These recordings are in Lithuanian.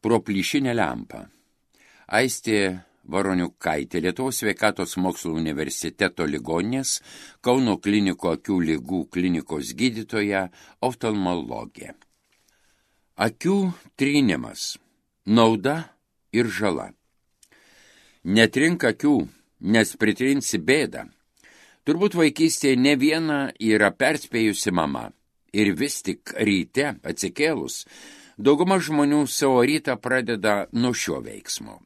Pro plyšinę lempą. Aistė Varoniukaitė, Lietuvos sveikatos mokslų universiteto ligoninės, Kauno klinikų akių ligų klinikos gydytoja, oftalmologė. Akių trynimas. Nauda ir žala. Netrink akių, nes pritrinsi bėdą. Turbūt vaikystėje ne viena yra perspėjusi mama. Ir vis tik ryte atsikėlus, dauguma žmonių savo rytą pradeda nuo šio veiksmo.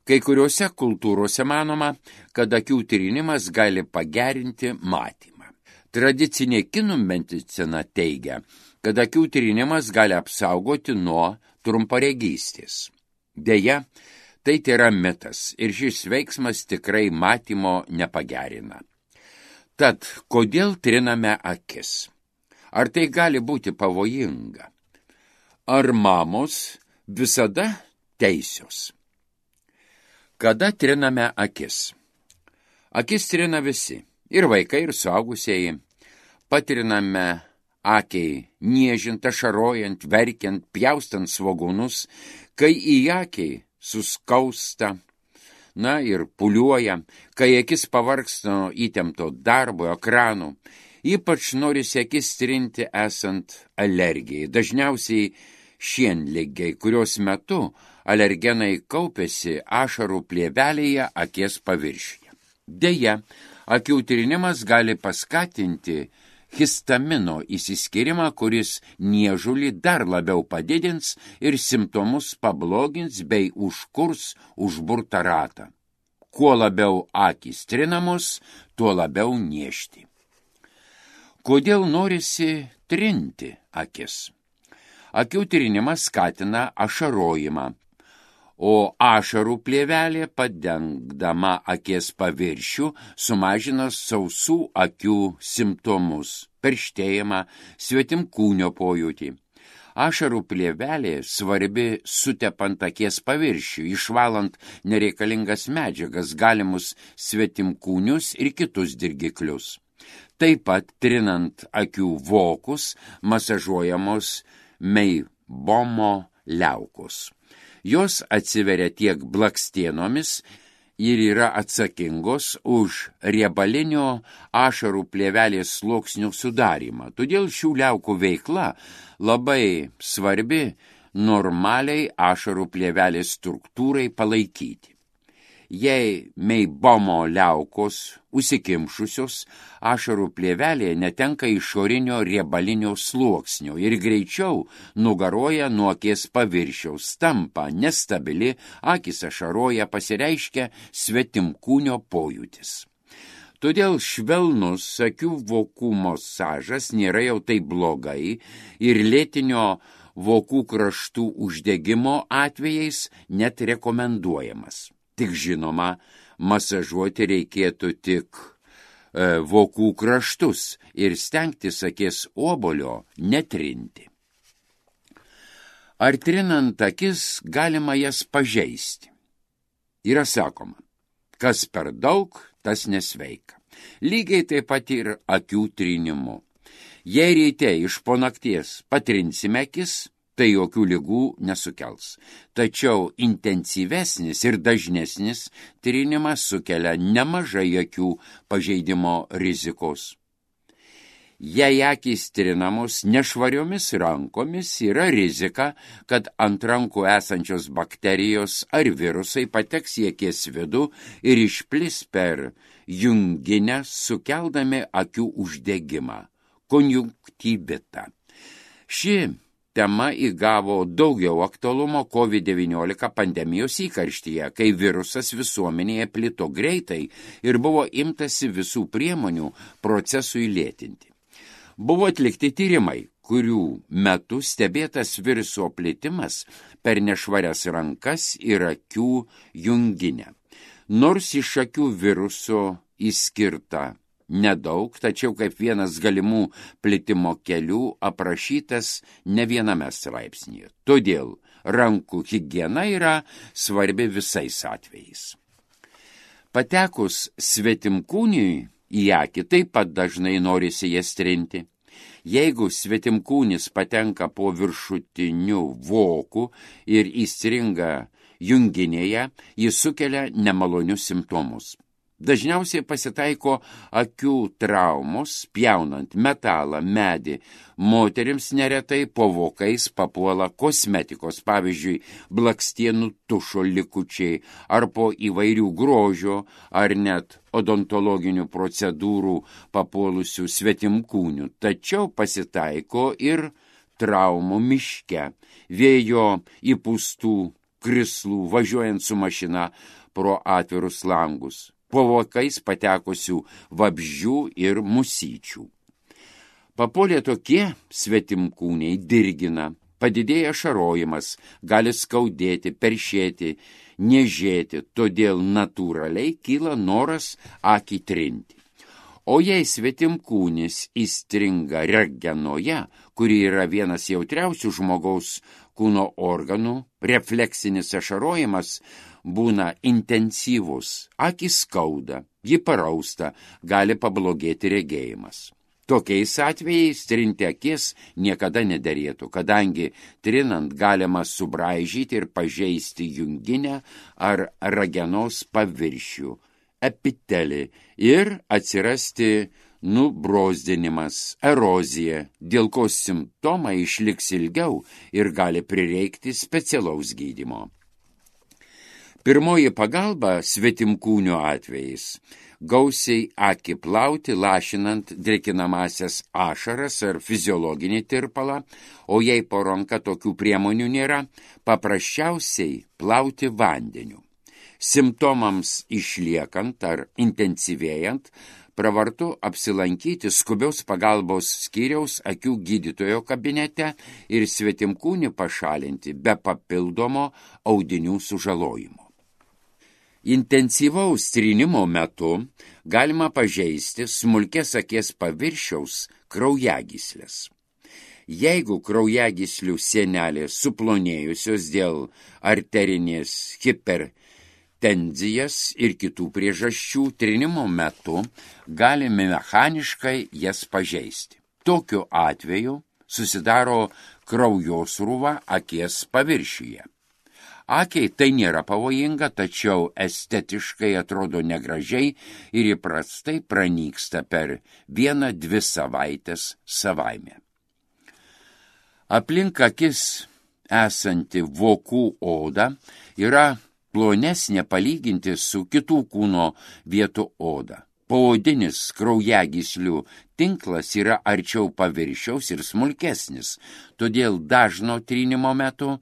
Kai kuriuose kultūrose manoma, kad akių trynimas gali pagerinti matymą. Tradicinė kinų medicina teigia, kad akių trynimas gali apsaugoti nuo trumparegystės. Deja, tai yra mitas ir šis veiksmas tikrai matymo nepagerina. Tad, kodėl triname akis? Ar tai gali būti pavojinga? Ar mamos visada teisios? Kada triname akis? Akis trina visi, ir vaikai, ir suaugusieji. Patriname akiai, niežint, ašarojant, verkiant, pjaustant svogūnus, kai į akiai suskausta, ir puliuoja, kai akis pavargsta nuo įtempto darbo, ekranų. Ypač norisi akis trinti esant alergijai. Dažniausiai šienligiai, kurios metu alergenai kaupiasi ašarų plėvelėje akies paviršiuje. Deja, akių trinimas gali paskatinti histamino išsiskyrimą, kuris niežulį dar labiau padidins ir simptomus pablogins bei užkurs užburtą ratą. Kuo labiau akys trinamos, tuo labiau niežti. Kodėl norisi trinti akis? Akių trinimas skatina ašarojimą, o ašarų plėvelė, padengdama akies paviršių, sumažina sausų akių simptomus, perštėjimą, svetimkūnio pojūtį. Ašarų plėvelė svarbi sutepant akies paviršių, išvalant nereikalingas medžiagas, galimus svetimkūnius ir kitus dirgiklius. Taip pat trinant akių vokus masažuojamos meibomo liaukos. Jos atsiveria tiek blakstienomis ir yra atsakingos už riebalinio ašarų plėvelės sluoksnių sudarymą. Todėl šių liaukų veikla labai svarbi normaliai ašarų plėvelės struktūrai palaikyti. Jei meibomo liaukos užsikimšusios, ašarų plėvelė netenka išorinio riebalinio sluoksnio ir greičiau nugaroja nuo akies paviršiaus, tampa nestabili, akys ašaroja, pasireiškia svetimkūnio pojūtis. Todėl švelnus akių vokų masažas nėra jau taip blogai ir lėtinio vokų kraštų uždegimo atvejais net rekomenduojamas. Tik žinoma, masažuoti reikėtų tik vokų kraštus ir stengtis akies obuolio netrinti. Ar trinant akis galima jas pažeisti? Yra sakoma, kas per daug, tas nesveika. Lygiai taip pat ir akių trinimu. Jei ryte iš po nakties patrinsime akis, tai jokių ligų nesukels. Tačiau intensyvesnis ir dažnesnis trinimas sukelia nemažai akių pažeidimo rizikos. Jei akys trinamos nešvariomis rankomis, yra rizika, kad ant rankų esančios bakterijos ar virusai pateks į akies vidų ir išplis per junginę, sukeldami akių uždegimą, konjunktyvitą. Ši tema įgavo daugiau aktualumo COVID-19 pandemijos įkarštyje, kai virusas visuomenėje plito greitai ir buvo imtasi visų priemonių procesui lėtinti. Buvo atlikti tyrimai, kurių metu stebėtas viruso plitimas per nešvarias rankas ir akių junginę. Nors iš akių viruso išskirta nedaug, tačiau kaip vienas galimų plitimo kelių aprašytas ne viename straipsnyje. Todėl rankų higiena yra svarbi visais atvejais. Patekus svetimkūniui į akį taip pat dažnai norisi jas trinti. Jeigu svetimkūnis patenka po viršutiniu voku ir įstringa junginėje, jis sukelia nemalonius simptomus. Dažniausiai pasitaiko akių traumos, pjaunant metalą, medį. Moterims neretai po vokais papuola kosmetikos, pavyzdžiui, blakstienų tušo likučiai, ar po įvairių grožio, ar net odontologinių procedūrų papuolusių svetimkūnių. Tačiau pasitaiko ir traumų miške, vėjo įpūstų krislų, važiuojant su mašina pro atvirus langus, po vokais patekusių vabzdžių ir musyčių. Papuolė tokie svetimkūniai dirgina, padidėja ašarojimas, gali skaudėti, peršėti, niežėti, todėl natūraliai kyla noras akį trinti. O jei svetimkūnis įstringa ragenoje, kuri yra vienas jautriausių žmogaus kūno organų, refleksinis ašarojimas būna intensyvus, akis skauda, ji parausta, gali pablogėti regėjimas. Tokiais atvejais trinti akis niekada nederėtų, kadangi trinant galima subraižyti ir pažeisti junginę ar ragenos paviršių, epitelį ir atsirasti nubrozdinimas, erozija, dėl ko simptomai išliks ilgiau ir gali prireikti specialaus gydymo. Pirmoji pagalba svetimkūnių atvejais – gausiai akį plauti, lašinant drėkinamasias ašaras ar fiziologinį tirpalą, o jei po ranka tokių priemonių nėra, paprasčiausiai plauti vandeniu. Simptomams išliekant ar intensyvėjant, pravartu apsilankyti skubios pagalbos skyriaus akių gydytojo kabinete ir svetimkūnį pašalinti be papildomo audinių sužalojimo. Intensyvaus trynimo metu galima pažeisti smulkės akies paviršiaus kraujagyslės. Jeigu kraujagyslių sienelės suplonėjusios dėl arterinės hipertenzijos ir kitų priežasčių, trynimo metu galime mechaniškai jas pažeisti. Tokiu atveju susidaro kraujosrūva akies paviršiuje. Akiai tai nėra pavojinga, tačiau estetiškai atrodo negražiai ir įprastai pranyksta per 1-2 savaitės savaime. Aplink akis esanti vokų oda yra plonesnė palyginti su kitų kūno vietų oda. Poodinis kraujagyslių tinklas yra arčiau paviršiaus ir smulkesnis, todėl dažno trynimo metu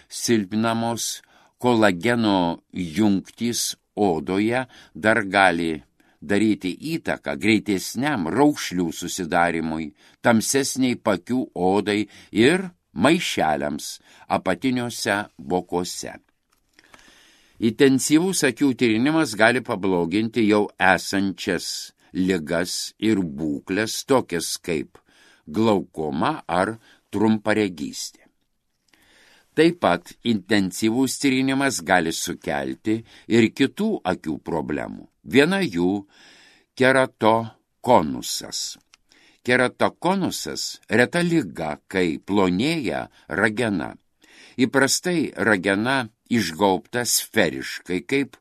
silpninamos kolageno jungtys odoje dar gali daryti įtaką greitesniam raukšlių susidarimui, tamsesniai pakių odai ir maišeliams apatiniuose vokuose. Intensyvus akių tyrinimas gali pabloginti jau esančias ligas ir būklės, tokias kaip glaukoma ar trumparegystė. Taip pat intensyvus tyrinimas gali sukelti ir kitų akių problemų. Viena jų – keratokonusas. Keratokonusas – reta liga, kai plonėja ragena. Įprastai ragena išgaubta sferiškai kaip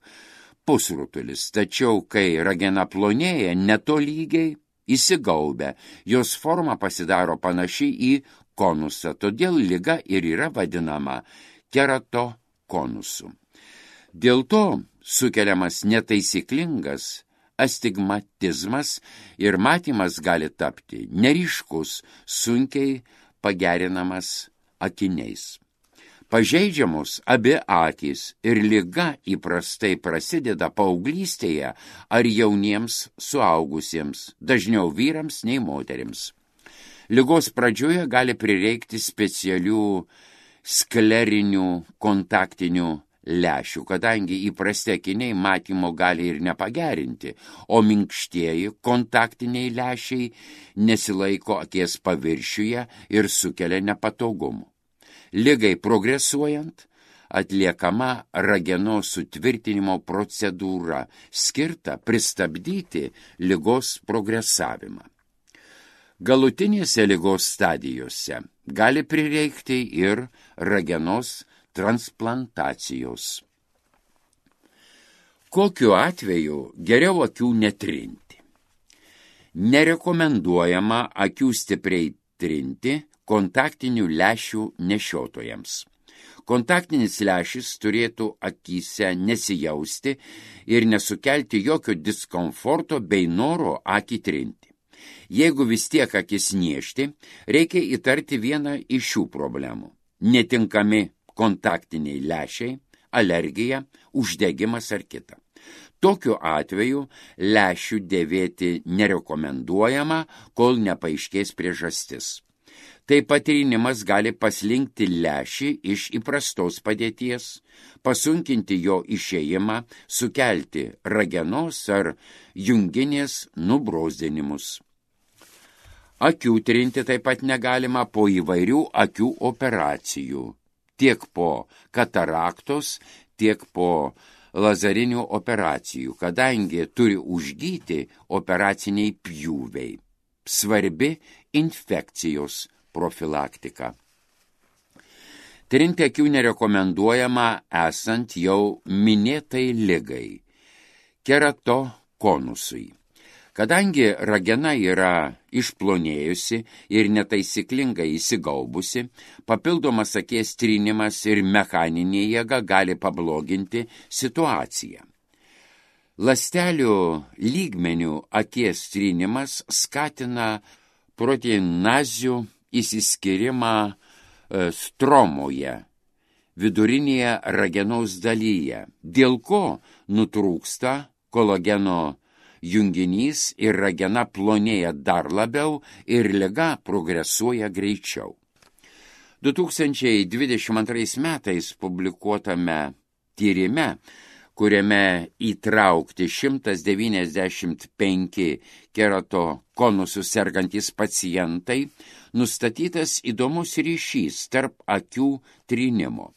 pusrutulis, tačiau kai ragena plonėja netolygiai įsigaubia, jos forma pasidaro panaši į konusą, todėl liga ir yra vadinama keratokonusu. Dėl to sukeliamas netaisyklingas astigmatizmas ir matymas gali tapti neryškus, sunkiai pagerinamas akiniais. Pažeidžiamos abi akys ir liga įprastai prasideda paauglystėje ar jauniems suaugusiems, dažniau vyrams nei moterims. Ligos pradžioje gali prireikti specialių sklerinių kontaktinių lęšių, kadangi įprasti akiniai matymo gali ir nepagerinti, o minkštieji kontaktiniai lęšiai nesilaiko akies paviršiuje ir sukelia nepatogumų. Ligai progresuojant, atliekama ragenos sutvirtinimo procedūra, skirta pristabdyti ligos progresavimą. Galutinėse ligos stadijose gali prireikti ir ragenos transplantacijos. Kokiu atveju geriau akių netrinti? Nerekomenduojama akių stipriai trinti kontaktinių lęšių nešiotojams. Kontaktinis lęšis turėtų akyse nesijausti ir nesukelti jokio diskomforto bei noro akį trinti. Jeigu vis tiek akis niežti, reikia įtarti vieną iš šių problemų. Netinkami kontaktiniai lęšiai, alergija, uždegimas ar kita. Tokiu atveju lęšių dėvėti nerekomenduojama, kol nepaaiškės priežastis. Taip pat trynimas gali paslinkti lęšį iš įprastos padėties, pasunkinti jo išėjimą, sukelti ragenos ar junginės nubrozdinimus. Akių trinti taip pat negalima po įvairių akių operacijų, tiek po kataraktos, tiek po lazerinių operacijų, kadangi turi užgyti operaciniai pjūviai. Svarbi infekcijos profilaktika. Trinti akių nerekomenduojama esant jau minėtai ligai – keratokonusui. Kadangi ragena yra išplonėjusi ir netaisyklingai įsigaubusi, papildomas akies trynimas ir mechaninė jėga gali pabloginti situaciją. Ląstelių lygmenių akies trynimas skatina proteinazių įsiskyrimą stromoje, vidurinėje ragenos dalyje, dėl ko nutrūksta kolageno junginys ir ragena plonėja dar labiau ir liga progresuoja greičiau. 2022 metais publikuotame tyrime, kuriame įtraukti 195 keratokonusų sergantys pacientai, nustatytas įdomus ryšys tarp akių trynimo.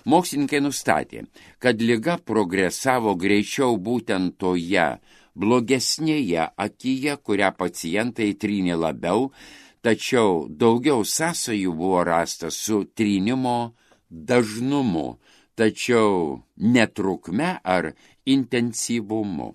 Mokslininkai nustatė, kad liga progresavo greičiau būtent toje blogesnėje akyje, kurią pacientai trynė labiau, tačiau daugiau sąsajų buvo rasta su trynimo dažnumu, tačiau netrukme ar intensyvumu.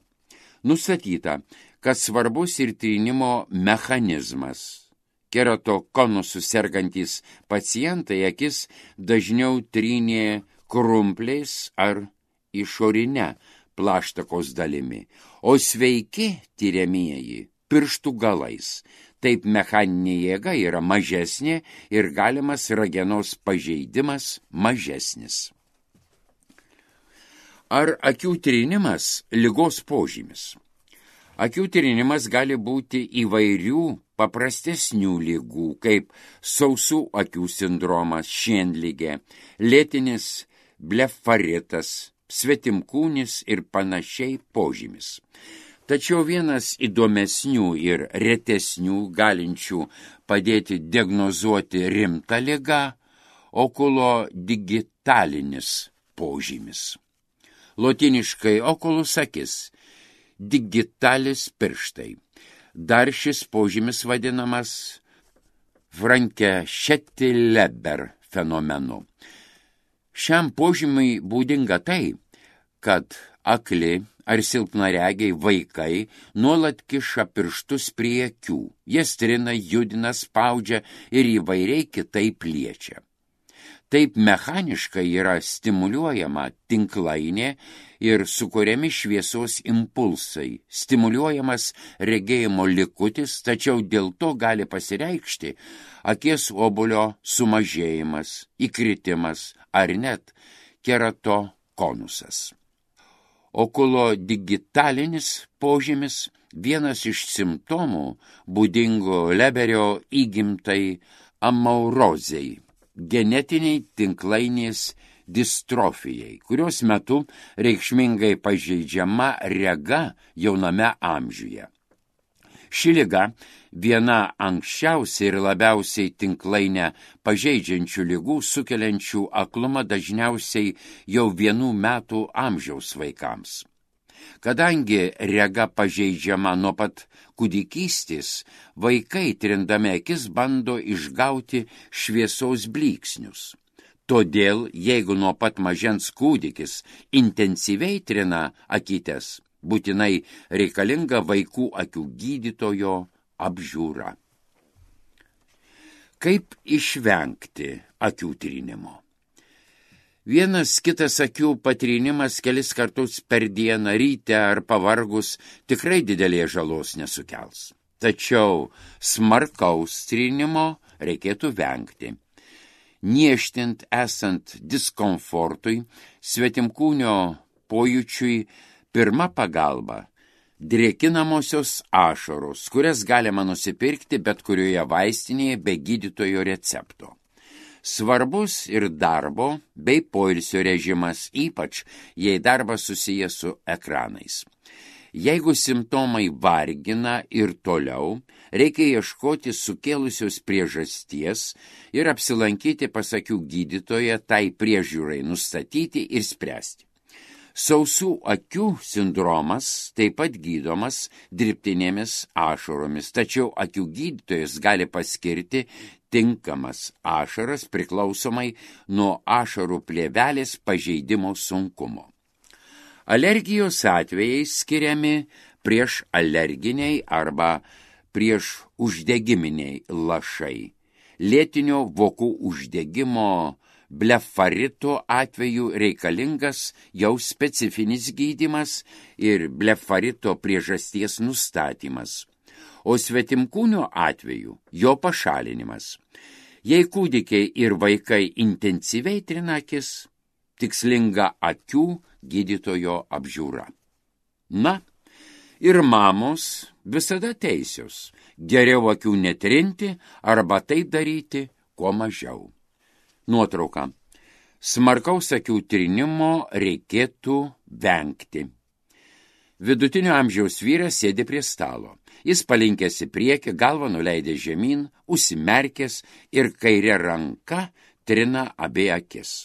Nustatyta, kad svarbus ir trynimo mechanizmas. Keratokonusų sergantys pacientai akis dažniau trynė krumpliais ar išorinę plaštakos dalimi, o sveiki tiriamieji pirštų galais. Taip mechaninė jėga yra mažesnė ir galimas ragenos pažeidimas mažesnis. Ar akių trynimas ligos požymis? Akių trynimas gali būti įvairių paprastesnių ligų, kaip sausų akių sindromas, šienligė, lėtinis blefaritas, svetimkūnis ir panašiai požymis. Tačiau vienas įdomesnių ir retesnių galinčių padėti diagnozuoti rimtą ligą – okulodigitalinis požymis. Lotiniškai okulus akis, digitalis pirštai. Dar šis požymis vadinamas Franke-Šeti-Leber fenomenu. Šiam požymiui būdinga tai, kad akli ar silpnaregiai vaikai nuolat kiša pirštus prie akių, jas trina, judina, spaudžia ir įvairiai kitaip liečia. Taip mechaniškai yra stimuliuojama tinklainė ir sukuriami šviesos impulsai, stimuliuojamas regėjimo likutis, tačiau dėl to gali pasireikšti akies obuolio sumažėjimas, įkritimas ar net keratokonusas. Okulodigitalinis požymis vienas iš simptomų būdingų Leberio įgimtai amaurozei, genetiniai tinklainės distrofijai, kurios metu reikšmingai pažeidžiama rega jauname amžiuje. Ši liga viena anksčiausiai ir labiausiai tinklainę pažeidžiančių ligų, sukeliančių aklumą dažniausiai jau 1 metų amžiaus vaikams. Kadangi rega pažeidžiama nuo pat kūdikystės, vaikai trindami akis bando išgauti šviesos blyksnius. Todėl, jeigu nuo pat mažens kūdikis intensyviai trina akytes, būtinai reikalinga vaikų akių gydytojo apžiūra. Kaip išvengti akių trinimo? Vienas kitas akių patrinimas kelis kartus per dieną, ryte ar pavargus, tikrai didelės žalos nesukels. Tačiau smarkaus trinimo reikėtų vengti. Niežtint esant diskomfortui, svetimkūnio pojūčiui, pirma pagalba – drėkinamosios ašaros, kurias galima nusipirkti bet kurioje vaistinėje be gydytojo recepto. Svarbus ir darbo bei poilsio režimas, ypač jei darbas susijęs su ekranais. Jeigu simptomai vargina ir toliau, reikia ieškoti sukėlusios priežasties ir apsilankyti pas akių gydytoją tai priežiūrai nustatyti ir spręsti. Sausų akių sindromas taip pat gydomas dirbtinėmis ašaromis, tačiau akių gydytojas gali paskirti tinkamas ašaras priklausomai nuo ašarų plėvelės pažeidimo sunkumo. Alergijos atvejai skiriami prieš alerginiai arba prieš uždegiminiai lašai. Lėtinio vokų uždegimo blefarito atveju reikalingas jau specifinis gydymas ir blefarito priežasties nustatymas, o svetimkūnio atveju jo pašalinimas. Jei kūdikiai ir vaikai intensyviai trina akis, tikslinga akių gydytojo apžiūra. Na, ir mamos visada teisios, geriau akių netrinti arba tai daryti kuo mažiau. Nuotrauka. Smarkaus akių trinimo reikėtų vengti. Vidutinio amžiaus vyras sėdi prie stalo. Jis palinkęs į priekį, galvą nuleidęs žemyn, užsimerkęs ir kairė ranka trina abi akis.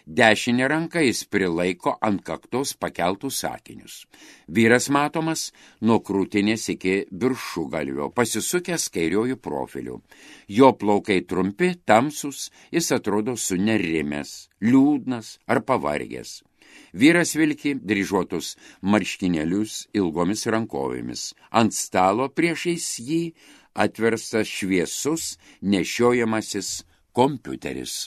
Dešinė ranka jis prilaiko ant kaktos pakeltus sakinius. Vyras matomas nuo krūtinės iki viršugalvio, pasisukęs kairiojų profiliu. Jo plaukai trumpi, tamsus, jis atrodo sunerimęs, liūdnas ar pavargęs. Vyras vilki dryžuotus marškinėlius ilgomis rankovėmis. Ant stalo priešais jį atverstas šviesus nešiojamasis kompiuteris.